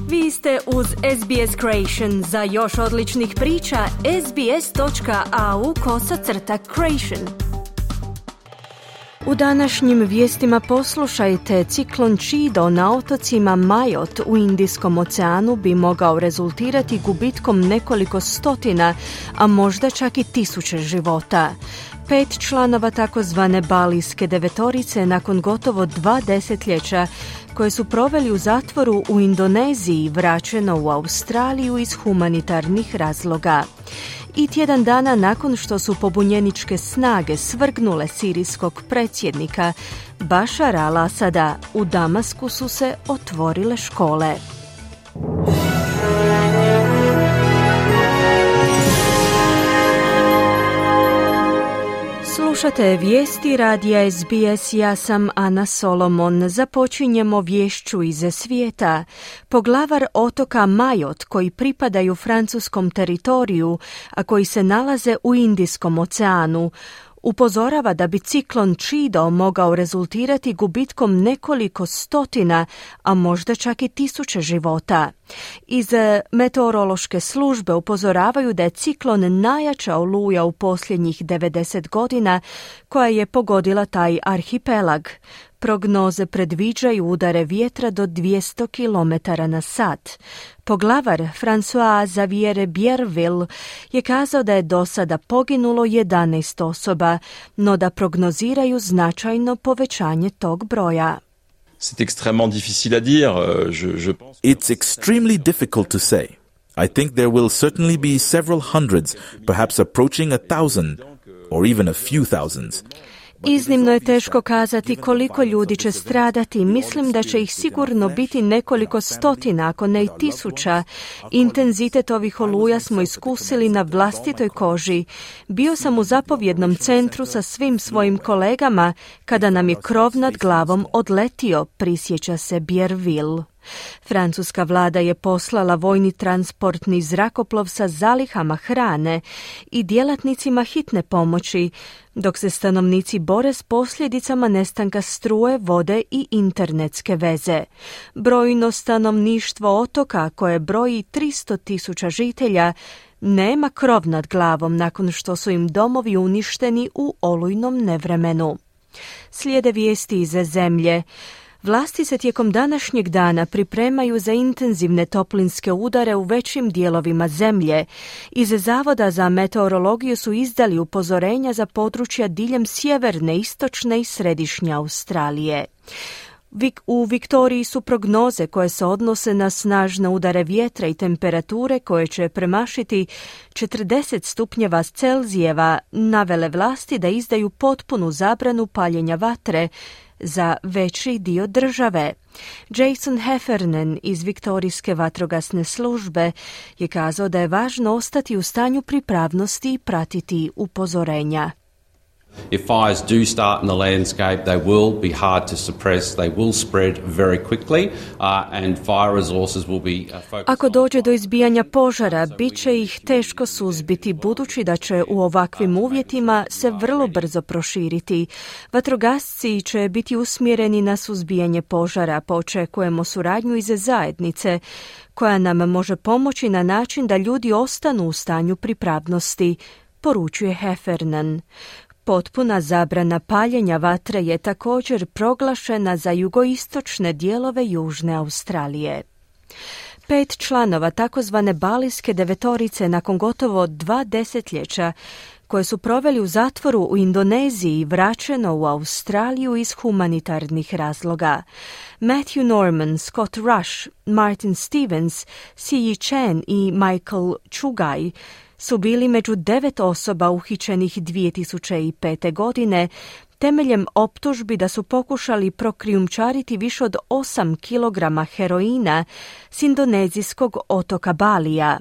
Vi ste uz SBS Creation. Za još odličnih priča, sbs.au/creation. U današnjim vijestima poslušajte, ciklon Chido na otocima Majot u Indijskom oceanu bi mogao rezultirati gubitkom nekoliko stotina, a možda čak i 1000 života. 5 članova takozvane balijske devetorice nakon gotovo 2 desetljeća koje su proveli u zatvoru u Indoneziji vraćeno u Australiju iz humanitarnih razloga. I tjedan dana nakon što su pobunjeničke snage svrgnule sirijskog predsjednika Bašara al-Asada, u Damasku su se otvorile škole. Slušate vijesti radija SBS, ja sam Ana Solomon. Započinjemo vješću iz svijeta. Poglavar otoka Majot, koji pripadaju francuskom teritoriju, a koji se nalaze u Indijskom oceanu, upozorava da bi ciklon Chido mogao rezultirati gubitkom nekoliko stotina, a možda čak i 1000 života. Iz meteorološke službe upozoravaju da je ciklon najjača oluja u posljednjih 90 godina koja je pogodila taj arhipelag. Prognoze predviđaju udare vjetra do 200 km na sat. Poglavar François Xavier Bierville je kazao da je do sada poginulo 11 osoba, no da prognoziraju značajno povećanje tog broja. C'est extrêmement difficile à dire. Je pense. It's extremely difficult to say. I think there will certainly be several hundreds, perhaps approaching 1,000, or even a few thousands. Iznimno je teško kazati koliko ljudi će stradati. Mislim da će ih sigurno biti nekoliko stotina, ako ne i 1000. Intenzitet ovih oluja smo iskusili na vlastitoj koži. Bio sam u zapovjednom centru sa svim svojim kolegama kada nam je krov nad glavom odletio, prisjeća se Bierville. Francuska vlada je poslala vojni transportni zrakoplov sa zalihama hrane i djelatnicima hitne pomoći, dok se stanovnici bore s posljedicama nestanka struje, vode i internetske veze. Brojno stanovništvo otoka, koje broji 300.000 žitelja, nema krov nad glavom nakon što su im domovi uništeni u olujnom nevremenu. Slijede vijesti iz zemlje. Vlasti se tijekom današnjeg dana pripremaju za intenzivne toplinske udare u većim dijelovima zemlje. Iz Zavoda za meteorologiju su izdali upozorenja za područja diljem sjeverne, istočne i središnje Australije. U Viktoriji su prognoze koje se odnose na snažne udare vjetra i temperature koje će premašiti 40 stupnjeva Celzijeva navele vlasti da izdaju potpunu zabranu paljenja vatre za veći dio države. Jason Heffernan iz Viktorijske vatrogasne službe je kazao da je važno ostati u stanju pripravnosti i pratiti upozorenja. If fires do start in the landscape, they will be hard to suppress. They will spread very quickly, and fire resources will be focused. Ako dođe do izbijanja požara, bit će ih teško suzbiti, budući da će u ovakvim uvjetima se vrlo brzo proširiti. Vatrogasci će biti usmjereni na suzbijanje požara, pa očekujemo suradnju iz zajednice, koja nam može pomoći na način da ljudi ostanu u stanju pripravnosti, poručuje Heffernan. Potpuna zabrana paljenja vatre je također proglašena za jugoistočne dijelove Južne Australije. 5 članova takozvane balijske devetorice nakon gotovo 2 desetljeća koje su proveli u zatvoru u Indoneziji vraćeno u Australiju iz humanitarnih razloga. Matthew Norman, Scott Rush, Martin Stevens, Si Chen i Michael Chugai su bili među 9 osoba uhićenih 2005. godine temeljem optužbi da su pokušali prokrijumčariti više od 8 kilograma heroina s indonezijskog otoka Balija.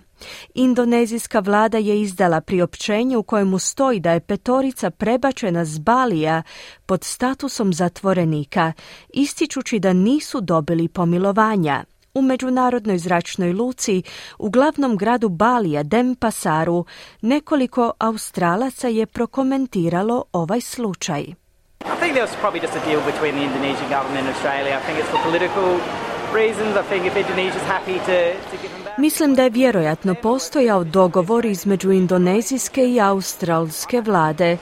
Indonezijska vlada je izdala priopćenje u kojemu stoji da je 5 prebačena s Balija pod statusom zatvorenika, ističući da nisu dobili pomilovanja. U međunarodnoj zračnoj luci u glavnom gradu Balija, Denpasaru, nekoliko Australaca je prokomentiralo ovaj slučaj. I think there was probably just a deal between the Indonesian government and Australia. I think it's for political Mislim da je vjerojatno postojao dogovor između indonezijske i australske vlade.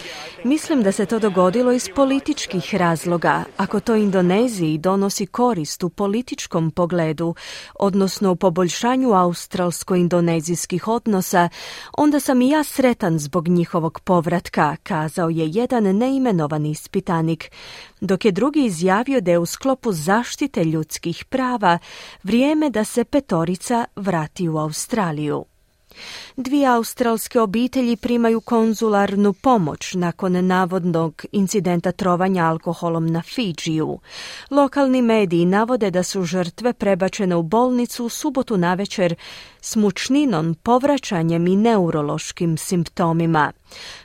Mislim da se to dogodilo iz političkih razloga. Ako to Indoneziji donosi korist u političkom pogledu, odnosno u poboljšanju australsko-indonezijskih odnosa, onda sam i ja sretan zbog njihovog povratka, kazao je jedan neimenovani ispitanik, dok je drugi izjavio da je u sklopu zaštite ljudskih prava vrijeme da se petorica vrati u Australiju. 2 australske obitelji primaju konzularnu pomoć nakon navodnog incidenta trovanja alkoholom na Fidžiju. Lokalni mediji navode da su žrtve prebačene u bolnicu u subotu navečer s mučninom, povraćanjem i neurološkim simptomima.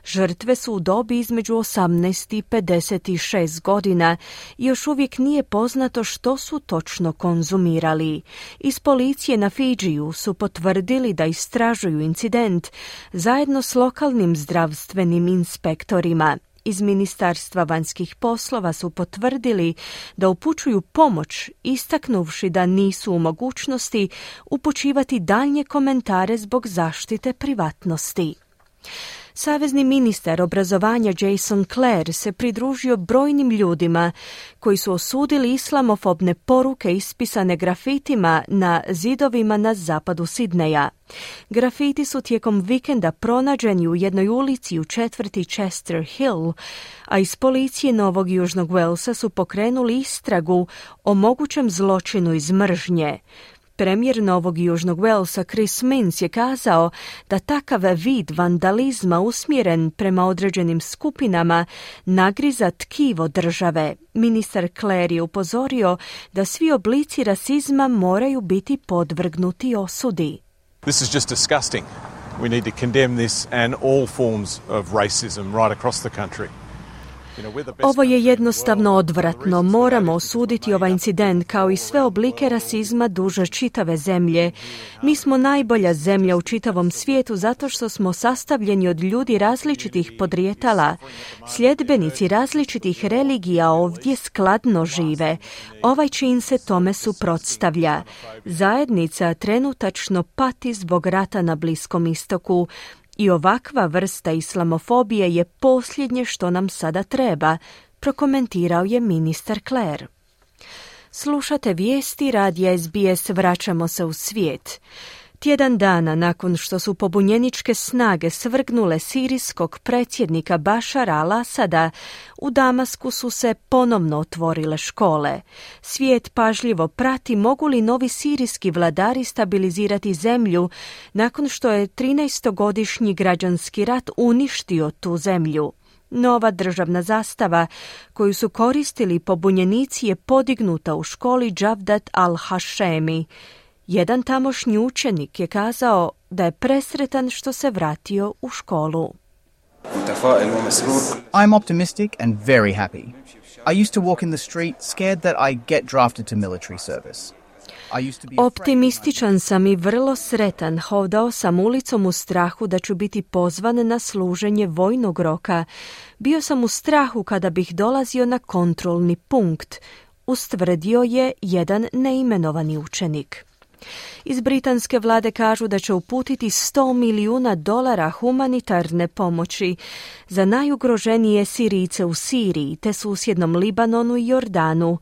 Žrtve su u dobi između 18 i 56 godina i još uvijek nije poznato što su točno konzumirali. Iz policije na Fidžiju su potvrdili da istražuju incident zajedno s lokalnim zdravstvenim inspektorima. Iz Ministarstva vanjskih poslova su potvrdili da upućuju pomoć, istaknuvši da nisu u mogućnosti upućivati daljnje komentare zbog zaštite privatnosti. Savezni ministar obrazovanja Jason Clare se pridružio brojnim ljudima koji su osudili islamofobne poruke ispisane grafitima na zidovima na zapadu Sidneja. Grafiti su tijekom vikenda pronađeni u jednoj ulici u četvrti Chester Hill, a iz policije Novog Južnog Walesa su pokrenuli istragu o mogućem zločinu iz mržnje. Premijer Novog Južnog Walesa Chris Minns je kazao da takav vid vandalizma usmjeren prema određenim skupinama nagriza tkivo države. Ministar Clare je upozorio da svi oblici rasizma moraju biti podvrgnuti osudi. This is just disgusting. We need to condemn this and all forms of racism right across the country. Ovo je jednostavno odvratno. Moramo osuditi ovaj incident kao i sve oblike rasizma duže čitave zemlje. Mi smo najbolja zemlja u čitavom svijetu zato što smo sastavljeni od ljudi različitih podrijetala. Sljedbenici različitih religija ovdje skladno žive. Ovaj čin se tome suprotstavlja. Zajednica trenutačno pati zbog rata na Bliskom istoku. I ovakva vrsta islamofobije je posljednje što nam sada treba, prokomentirao je ministar Clare. Slušate vijesti radija SBS, vraćamo se u svijet. Tjedan dana nakon što su pobunjeničke snage svrgnule sirijskog predsjednika Bašara al-Asada, u Damasku su se ponovno otvorile škole. Svijet pažljivo prati mogu li novi sirijski vladari stabilizirati zemlju nakon što je 13-godišnji građanski rat uništio tu zemlju. Nova državna zastava koju su koristili pobunjenici je podignuta u školi Džavdat al-Hašemi. Jedan tamošnji učenik je kazao da je presretan što se vratio u školu. I'm optimistic and very happy. I used to walk in the street scared that I get drafted to military service. Optimističan sam i vrlo sretan. Hodao sam ulicom u strahu da ću biti pozvan na služenje vojnog roka. Bio sam u strahu kada bih dolazio na kontrolni punkt, ustvrdio je jedan neimenovani učenik. Iz britanske vlade kažu da će uputiti $100 milijuna humanitarne pomoći za najugroženije Sirijce u Siriji te susjednom Libanonu i Jordanu.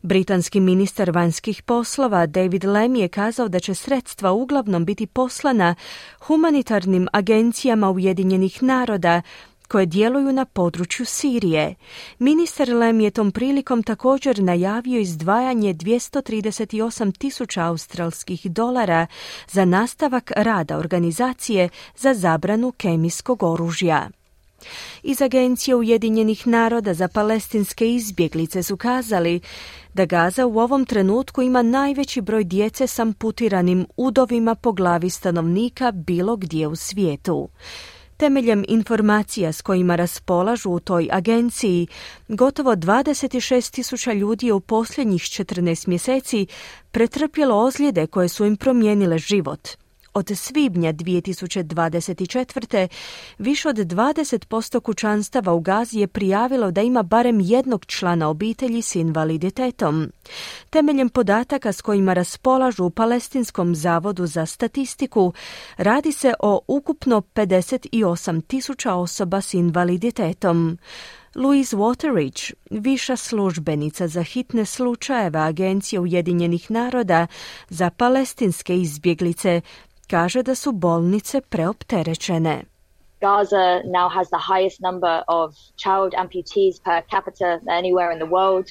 Britanski ministar vanjskih poslova David Lammy je kazao da će sredstva uglavnom biti poslana humanitarnim agencijama Ujedinjenih naroda koje djeluju na području Sirije. Ministar Lammy je tom prilikom također najavio izdvajanje $238,000 australskih dolara za nastavak rada organizacije za zabranu kemijskog oružja. Iz Agencije Ujedinjenih naroda za palestinske izbjeglice su kazali da Gaza u ovom trenutku ima najveći broj djece s amputiranim udovima po glavi stanovnika bilo gdje u svijetu. Temeljem informacija s kojima raspolažu u toj agenciji, gotovo 26,000 ljudi je u posljednjih 14 mjeseci pretrpjelo ozljede koje su im promijenile život. Od svibnja 2024. više od 20% kućanstava u Gazi je prijavilo da ima barem jednog člana obitelji s invaliditetom. Temeljem podataka s kojima raspolažu u Palestinskom zavodu za statistiku, radi se o ukupno 58.000 osoba s invaliditetom. Louise Wateridge, viša službenica za hitne slučajeve Agencije Ujedinjenih naroda za palestinske izbjeglice, kaže da su bolnice preopterećene. Gaza now has the highest number of child amputees per capita anywhere in the world.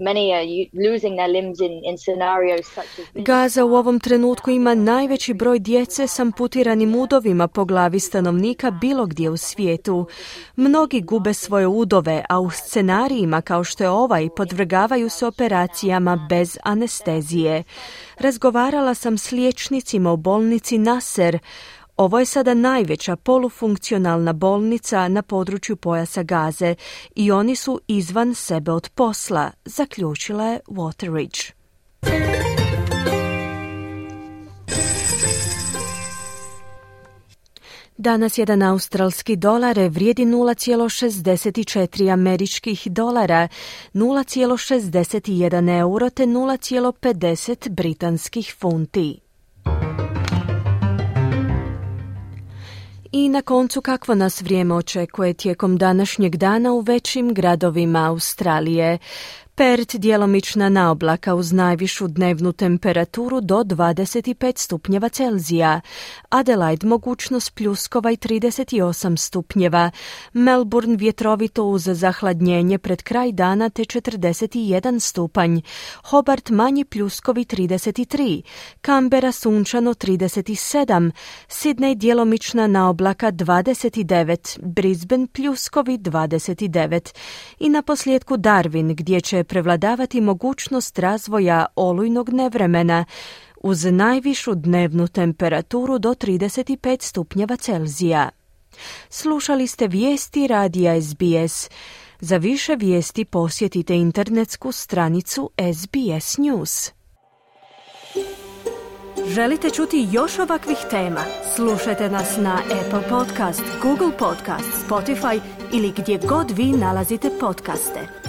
Many are losing their limbs in scenarios such as... Gaza u ovom trenutku ima najveći broj djece s amputiranim udovima po glavi stanovnika bilo gdje u svijetu. Mnogi gube svoje udove, a u scenarijima kao što je ovaj podvrgavaju se operacijama bez anestezije. Razgovarala sam s liječnicima u bolnici Nasser. Ovo je sada najveća polufunkcionalna bolnica na području pojasa Gaze i oni su izvan sebe od posla, zaključila je Wateridge. Danas jedan australski dolar vrijedi 0,64 američkih dolara, 0,61 euro te 0,50 britanskih funti. I na koncu kakvo nas vrijeme očekuje tijekom današnjeg dana u većim gradovima Australije. Perth djelomična naoblaka uz najvišu dnevnu temperaturu do 25 stupnjeva Celzija. Adelaide mogućnost pljuskova i 38 stupnjeva. Melbourne vjetrovito uz zahladnjenje pred kraj dana te 41 stupanj. Hobart manji pljuskovi 33. Canberra sunčano 37. Sydney djelomična naoblaka 29. Brisbane pljuskovi 29. I na posljedku Darwin gdje će prevladavati mogućnost razvoja olujnog nevremena uz najvišu dnevnu temperaturu do 35 stupnjeva Celzija. Slušali ste vijesti radija SBS. Za više vijesti posjetite internetsku stranicu SBS News. Želite čuti još ovakvih tema? Slušajte nas na Apple Podcast, Google Podcast, Spotify ili gdje god vi nalazite podcaste.